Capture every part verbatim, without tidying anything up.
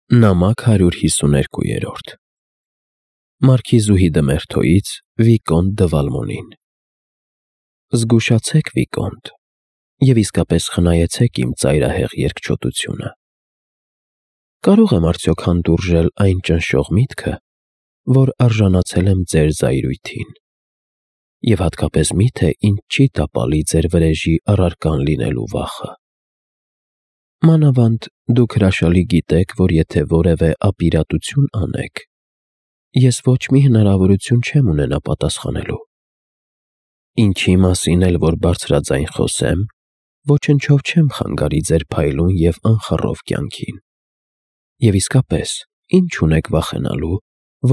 Նամակ հարյուր հիսուներկու Մարքիզուհի դը Մերթոյից Վիկոնտ դը Վալմոնին Զգուշացեք, Վիկոնտ, և իսկապես խնայեցեք իմ ծայրահեղ երկչոտությունը: Կարո՞ղ եմ արդյոք հանդուրժել այն ճնշող միտքը, որ արժանացել եմ ձեր զայրույթին, և հատկապես մի՞թե ինձ չի տապալի ձեր վրեժի առարկան լինելու վախը: Մանավանդ դուք հրաշալի գիտեք, որ եթե որևէ ապիրատություն անեք, ես ոչ մի հնարավորություն չեմ ունենա պատասխանելու: Ինչի մասին էլ որ բարձրաձայն խոսեմ, ոչնչով չեմ խանգարի ձեր փայլուն և անխռով կյանքին: Եվ իսկապես, ի՞նչ ունեք վախենալու,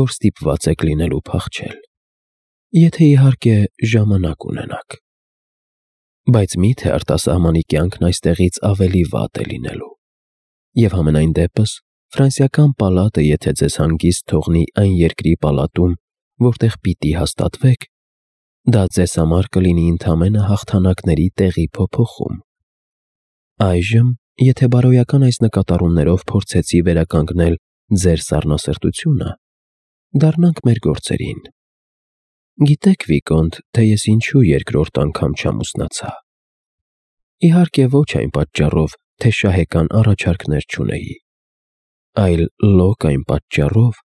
որ ստիպված եք լինելու փախչել, եթե իհարկե ժամանակ ունենաք: Բայց մի՞թե արտասահմանի կյանքն այստեղից ավելի վատ է լինելու: Եվ համենայն դեպս, Ֆրանսիական պալատը եթե ձեզ հանգիստ թողնի այն երկրի պալատում, որտեղ պիտի հաստատվեք, դա ձեզ համար կլինի ընդամենը հաղթանակների տեղի փոփոխում: Այժմ, եթե բարոյական այս նկատառումներով փորձեցի վերականգնել ձեր սառնասրտությունը, դառնանք մեր գործերին: Գիտեք, Վիկոնտ, թե ես ինչու երկրորդ անգամ չամուսնացա: Իհարկե ոչ այն պատճառով, թե շահեկան առաջարկներ չունեի, այլ լոկ այն պատճառով,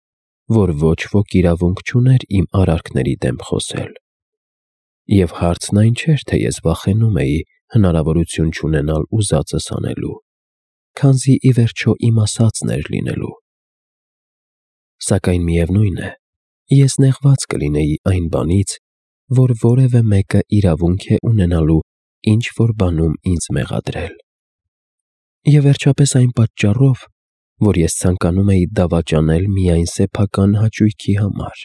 որ ոչ ոք իրավունք չուներ իմ արարքների դեմ խոսել: Եվ հարցն այն չէր, թե ես վախենում էի հնարավորություն չունենալ ուզածս անելու, քանզի ի վերջո իմ ասածն էր լինելու: Սակայն միևնույն է, ես նեղված կլինեի այն բանից, որ որևէ մեկը իրավունք է ունենալու ինչ-որ բանում ինձ մեղադրել: Եվ վերջապես այն պատճառով, որ ես ցանկանում էի դավաճանել միայն սեփական հաճույքի համար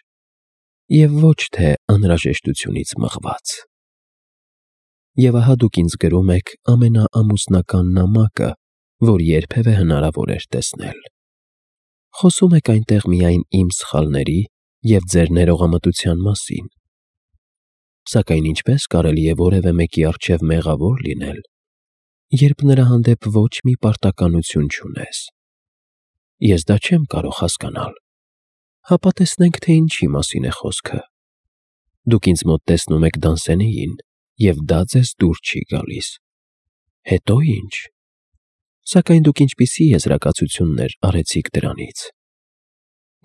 և ոչ թե անհրաժեշտությունից մղված: Եվ ահա դուք ինձ գրում եք ամենաամուսնական նամակը, որ երբևէ հնարավոր էր տեսնել: Խոսում եք այնտեղ միայն իմ սխալների և ձեր ներողամտության մասին: Սակայն ինչպե՞ս կարելի է որևէ մեկի առջև մեղավոր լինել, երբ նրա հանդեպ ոչ մի պարտականություն չունես: Ես դա չեմ կարող հասկանալ: Հապա տեսնենք, թե ինչի մասին է խոսքը: Դուք ինձ մոտ տեսնում եք Դանսենիին և դա ձեզ դուր չի գալիս: Հետո ի՞նչ: Սակայն դուք ինչպիսի եզրակացություններ արեցիք դրանից: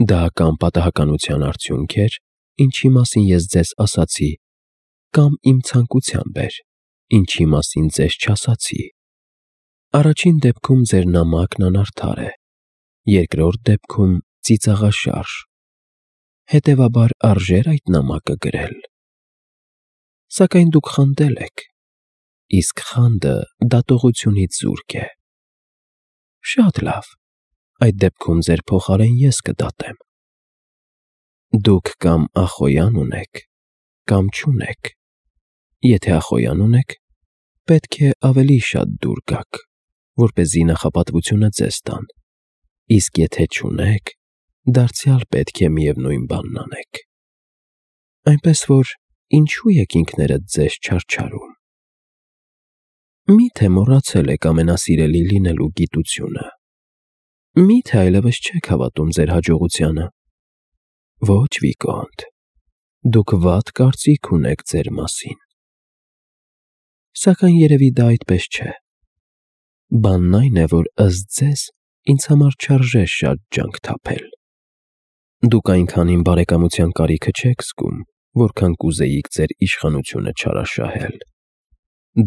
Դա կամ պատահականության արդյունք էր, ինչի մասին ես ձեզ ասացի, կամ իմ ցանկությամբ էր, ինչի մասին ձեզ չասացի: Առաջին դեպքում ձեր նամակն անարդար է, երկրորդ դեպքում ծիծաղաշարժ: Հետևաբար արժե՞ր այդ նամակը գրել: Սակայն դուք խանդել եք, իսկ խանդը դատողությունից զուրկ է: Շատ լավ, այդ դեպքում ձեր փոխարեն ես կդատեմ: Դուք կամ ախոյան ունեք, կամ չունեք: Եթե ախոյան ունեք, պետք է ավելի շատ դուր գաք, որպեսզի նախապատվությունը ձեզ տան, իսկ եթե չունեք, դարձյալ պետք է միևնույն բանն անեք: Այնպես որ ինչո՞ւ եք ինքներդ ձեզ չարչարում: Մի՞թե մոռացել եք ամենասիրելի լինելու գիտությունը: Մի՞թե այլևս չեք հավատում ձեր հաջողությանը: Ոչ, Վիկոնտ, դուք վատ կարծիք ունեք ձեր մասին: Սակայն երևի դա այդպես չէ: Բանն այն է, որ ըստ ձեզ ինձ համար չարժե շատ ջանք թափել: Դուք այնքան իմ բարեկամության կարիքը չեք զգում, որքան կուզեիք ձեր իշխանությունը չարաշահել: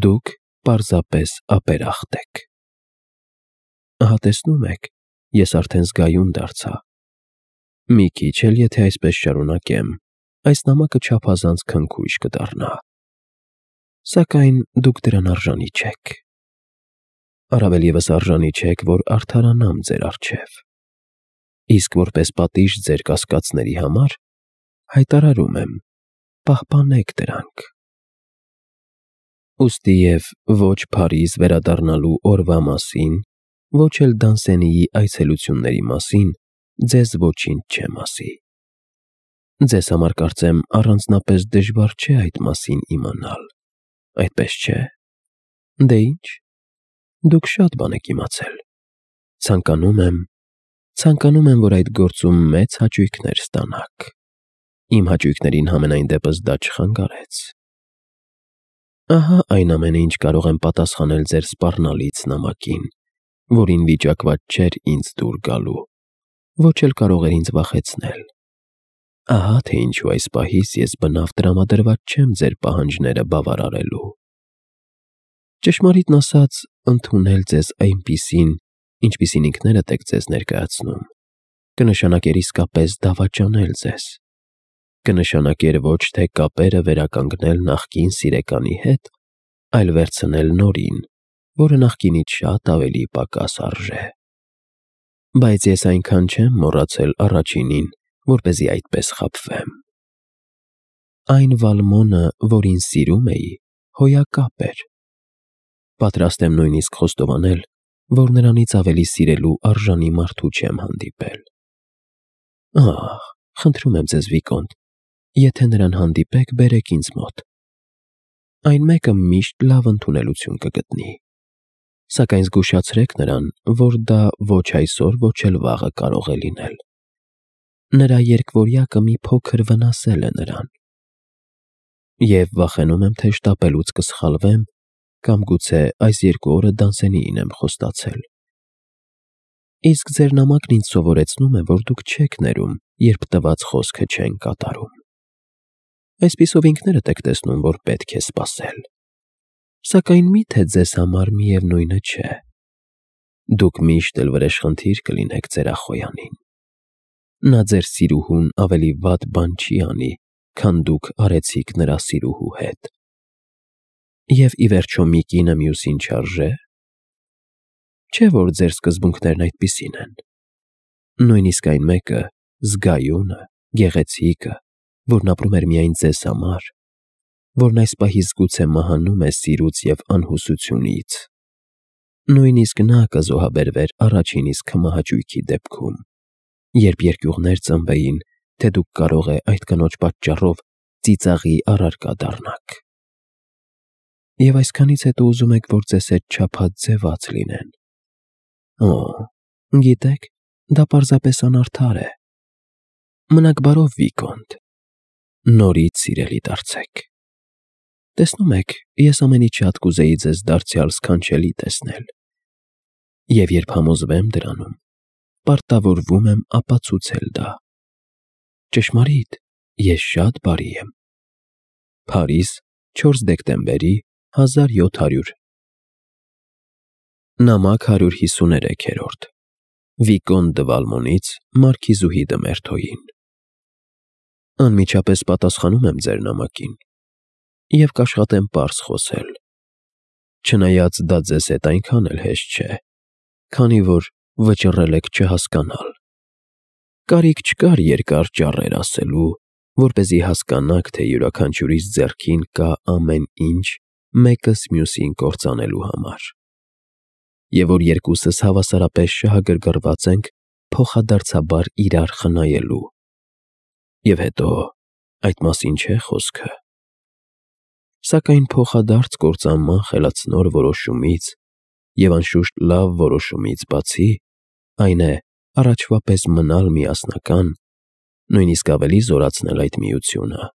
Դուք պարզապես ապերախտ եք: Ահա տեսնում եք, ես արդեն զգայուն դարձա: Մի քիչ էլ եթե այսպես շարունակեմ, այս նամակը չափազանց քնքուշ կդառնա: Սակայն դուք դրան արժանի չեք: Առավել ևս արժանի չեք, որ արդարանամ ձեր առջև: Իսկ որպես պատիժ ձեր կասկածների համար, հայտարարում եմ, պահպանեք դրանք: Ուստի և ոչ Փարիզ վերադառնալու օրվա մասին, ոչ էլ Դանսենիի այցելությունների մասին ձեզ ոչինչ չեմ ասի: Ձեզ համար կարծեմ առանձնապես դժվար չէ այդ մասին իմանալ, այդպես չէ: Դե ինչ, դուք շատ բան եք իմացել: Ցանկանում եմ, Ցանկանում եմ, որ այդ գործում մեծ հաճույքներ ստանաք։ Իմ հաճույքներին համենայն դեպս դա չխանգարեց։ Ահա այն ամենը, ինչ կարող եմ պատասխանել ձեր սպառնալից նամակին, որին վիճակված չէր ինձ դուր գալու, ոչ էլ կարող էր ինձ վախեցնել։ Ահա թե ինչու այս պահից ես բնավ տրամադրված չեմ ձեր պահանջները բավարարելու։ Ճշմարիտն ասած, ընդունել ձեզ այնպիսին, ինչպիսին ինքներդ եք ձեզ ներկայացնում, կնշանակեր իսկապես դավաճանել ձեզ, կնշանակեր ոչ թե կապերը վերականգնել նախկին սիրեկանի հետ, այլ վերցնել նորին, որը նախկինից շատ ավելի պակաս արժե։ Բայց ես այնքան չեմ մոռացել առաջինին, որպեսզի այդպես խաբվեմ։ Այն Վալմոնը, որին սիրում էի, հոյակապ էր։ Պատրաստ եմ նույնիսկ խոստովանել, որ նրանից ավելի սիրելու արժանի մարդու չեմ հանդիպել։ Ահ, խնդրում եմ ձեզ, Վիկոնտ, եթե նրան հանդիպեք, բերեք ինձ մոտ։ Այն մեկը միշտ լավ ընդունելություն կգտնի։ Սակայն զգուշացրեք նրան, որ դա ոչ այսօր, ոչ էլ վաղը կարող է լինել։ Նրա երկվորյակը մի փոքր վնասել է նրան։ Եվ վախենում եմ, թե շտապելուց կսխալվեմ, կամ գուցե այս երկու օրը դանսենիին եմ խոստացել։ Իսկ ձեր նամակն ինձ սովորեցնում է, որ դուք չեք ներում, երբ տված խոսքը չեն կատարում։ Այսպիսով ինքներդ եք տեսնում, որ պետք է սպասել։ Սակայն միթե ձեզ համար միևնույնը չէ։ Դուք միշտ էլ վրեժխնդիր կլինեք ձեր ախոյանին։ Նա ձեր սիրուհուն ավելի վատ բան չի անի, քան դուք արեցիք նրա սիրուհու հետ։ Եվ ի վերջո մի կինը մյուսին չարժե։ Չէ՞ որ ձեր սկզբունքներն այդպիսին են։ Նույնիսկ այն մեկը, զգայունը, գեղեցիկը, որն ապրում էր միայն ձեզ համար, որն այս պահից գուցե մահանում է սիրուց և անհուսությունից, նույնիսկ նա կզոհաբերվեր առաջին իսկ հմահաճույքի դեպքում, երբ երկյուղներ ծնվեին, թե դուք կարող է այդ կնոջ պատճառով ծիծաղի առարկա դառնաք։ Եվ այսքանից հետո ուզում եք, որ ձեզ հետ չափազևաց լինեն։ Օ, գիտեք, դա պարզապես անարդար է։ Մնաք բարով, Վիկոնտ, նորից սիրելի դարձեք։ Տեսնում եք, ես ամենից շատ կուզեի ձեզ դարձյալ սքանչելի տեսնել։ Եվ երբ համոզվեմ դրանում, պարտավորվում եմ ապացուցել դա։ Ճշմարիտ, ես շատ բարի եմ։ Փարիզ, չորս դեկտեմբերի հազար յոթ հարյուր Նամակ հարյուր հիսուներեքերորդ Վիկոն դը Վալմոնից Մարքիզուհի դը Մերթոյին։ Անմիջապես պատասխանում եմ ձեր նամակին և կաշխատեմ պարզ խոսել, չնայած դա ձեզ հետ այնքան էլ հեշտ չէ, քանի որ վճռել եք չհասկանալ։ Կարիք չկար երկար ճառեր ասելու, որպեսզի հասկանաք, թե յուրաքանչյուրիս ձեռքին կա ամեն ինչ մեկս մյուսին կործանելու համար, և որ երկուսս հավասարապես շահագրգռված ենք փոխադարձաբար իրար խնայելու։ Եվ հետո, այդ մասին չէ խոսքը։ Սակայն փոխադարձ կործանման խելացնոր որոշումից և անշուշտ լավ որոշումից բացի, այն է առաջվա պես մնալ միասնական, նույնիսկ ավելի զորացնել այդ միությունը,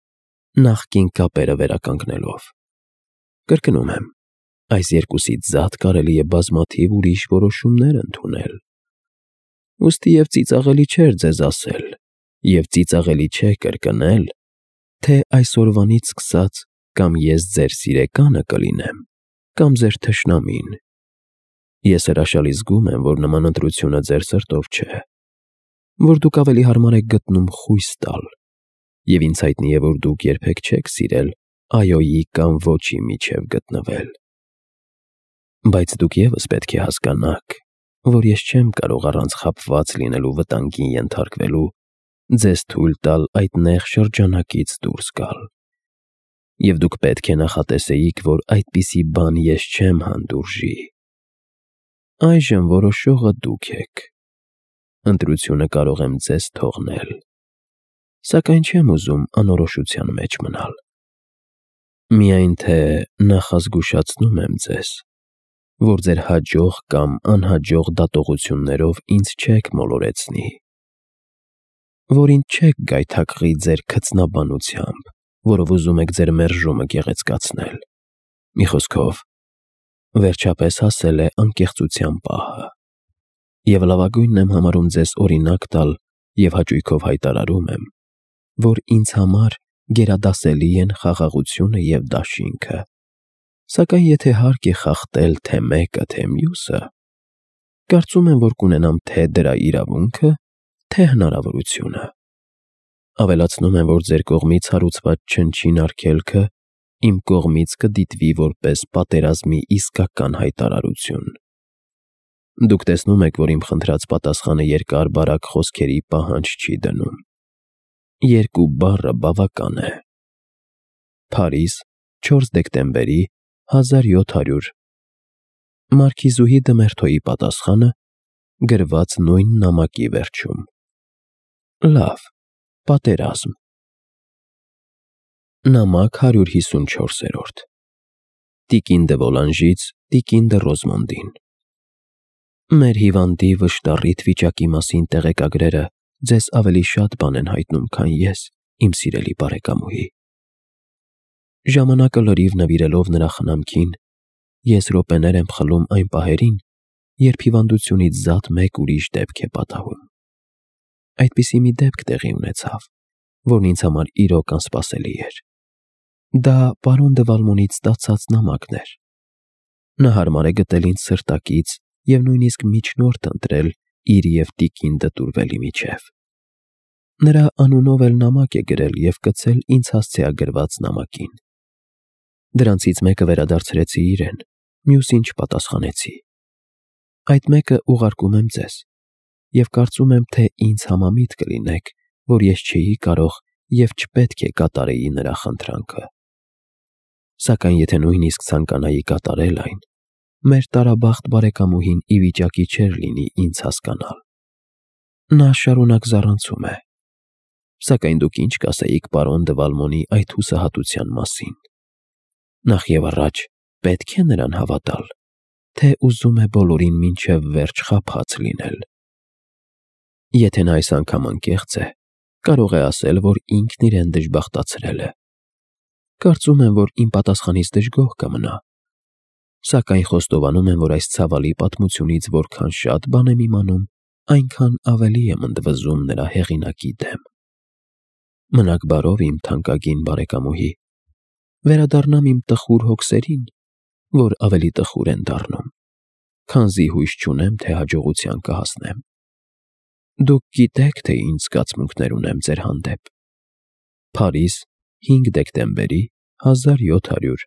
նախկին կապերը վերականգնելով։ Կրկնում եմ, այս երկուսից զատ կարելի է բազմաթիվ ուրիշ որոշումներ ընդունել։ Ուստի և ծիծաղելի չէր ձեզ ասել, և ծիծաղելի չէ կրկնել, թե այսօրվանից սկսած կամ ես ձեր սիրեկանը կլինեմ, կամ ձեր թշնամին։ Ես հրաշալի զգում եմ, որ նման ընտրությունը ձեր սրտով չէ, որ դուք ավելի հարմար եք գտնում խույս տալ, և ինձ հայտնի է, որ դուք երբեք չեք սիրել այոյի կամ ոչի միջև գտնվել։ Բայց դուք ևս պետք է հասկանաք, որ ես չեմ կարող առանց խաբված լինելու վտանգին ենթարկվելու ձեզ թույլ տալ այդ նեղ շրջանակից դուրս գալ։ Եվ դուք պետք է նախատեսեիք, որ այդպիսի բան ես չեմ հանդուրժի։ Այժմ որոշողը դուք եք։ Ընտրությունը կարող եմ ձեզ թողնել, սակայն չեմ ուզում անորոշության մեջ մնալ։ Միայն թե նախազգուշացնում եմ ձեզ, որ ձեր հաջող կամ անհաջող դատողություններով ինձ չեք մոլորեցնի, որ ինձ չեք գայթակղի ձեր քծնաբանությամբ, որով ուզում եք ձեր մերժումը գեղեցկացնել։ Մի խոսքով, վերջապես հասել է անկեղծության պահը, և լավագույնն եմ համարում ձեզ օրինակ տալ և հաճույքով հայտարարում եմ, որ ինձ համար գերադասելի են խաղաղությունը և դաշինքը, սակայն եթե հարկ է խախտել թե մեկը, թե մյուսը, կարծում եմ, որ կունենամ թե դրա իրավունքը, թե հնարավորությունը։ Ավելացնում եմ, որ ձեր կողմից հարուցված չնչին արգելքը իմ կողմից կդիտվի որպես պատերազմի իսկական հայտարարություն։ Դուք տեսնում եք, որ իմ խնդրած պատասխանը երկար-բարակ խոսքերի պահանջ չի դնում։ Երկու բառը բավական է։ Փարիզ, չորս դեկտեմբերի հազար յոթ հարյուր Մարքիզուհի Դմերթոյի պատասխանը, գրված նույն նամակի վերջում։ Լավ, պատերազմ։ Նամակ հարյուր հիսունչորս Տիկին դը Վոլանժից տիկին դը Ռոզմոնդին։ Մեր հիվանդի վշտառիթ վիճակի մասին տեղեկագրերը ձեզ ավելի շատ բան են հայտնում, քան ես, իմ սիրելի բարեկամուհի։ Ժամանակը լրիվ նվիրելով նրա խնամքին, ես րոպեներ եմ խլում այն պահերին, երբ հիվանդությունից զատ մեկ ուրիշ դեպք է պատահում։ Այդպիսի մի դեպք տեղի ունեցավ, որն ինձ համար իրոք անսպասելի էր։ Դա պարոն դը Վալմոնից ստացած նամակն էր։ Նա հարմար է գտել ինձ սրտակից և նույնիսկ միջնորդ ընտրել իր և տիկին դը Տուրվելի միջև։ Նրա անունով էլ նամակ է գրել և կցել ինձ հասցեագրված նամակին։ Դրանցից մեկը վերադարձրեցի իրեն, մյուսին չպատասխանեցի։ Այդ մեկը ուղարկում եմ ձեզ, և կարծում եմ, թե ինձ համամիտ կլինեք, որ ես չէի կարող և չպետք է կատարեի նրա խնդրանքը։ Սակայն եթե նույնիսկ ցանկանայի կատարել այն, մեր տարաբախտ բարեկամուհին ի վիճակի չէր լինի ինձ հասկանալ։ Նա շարունակ զառանցում է։ Սակայն դուք ինչ կասեիք պարոն դը Վալմոնի այդ հուսահատության մասին։ Նախևառաջ պետք է նրան հավատալ, թե ուզում է բոլորին մինչև վերջ խաբած լինել։ Եթե նա այս անգամ անկեղծ է, կարող է ասել, որ ինքն իրեն դժբախտացրել է։ Կարծում եմ, որ իմ պատասխանից դժգոհ կմնա, սակայն խոստովանում եմ, որ այս ցավալի պատմությունից որքան շատ բան եմ իմանում, այնքան ավելի եմ ընդվզում նրա հեղինակի դեմ։ Մնաք բարով, իմ թանկագին բարեկամուհի, վերադառնամ իմ տխուր հոգսերին, որ ավելի տխուր են դառնում, քանզի հույս չունեմ, թե հաջողության կհասնեմ։ Դուք գիտեք, թե ինչ զգացմունքներ ունեմ ձեր հանդեպ։ Փարիզ, հինգ դեկտեմբերի հազար յոթ հարյուր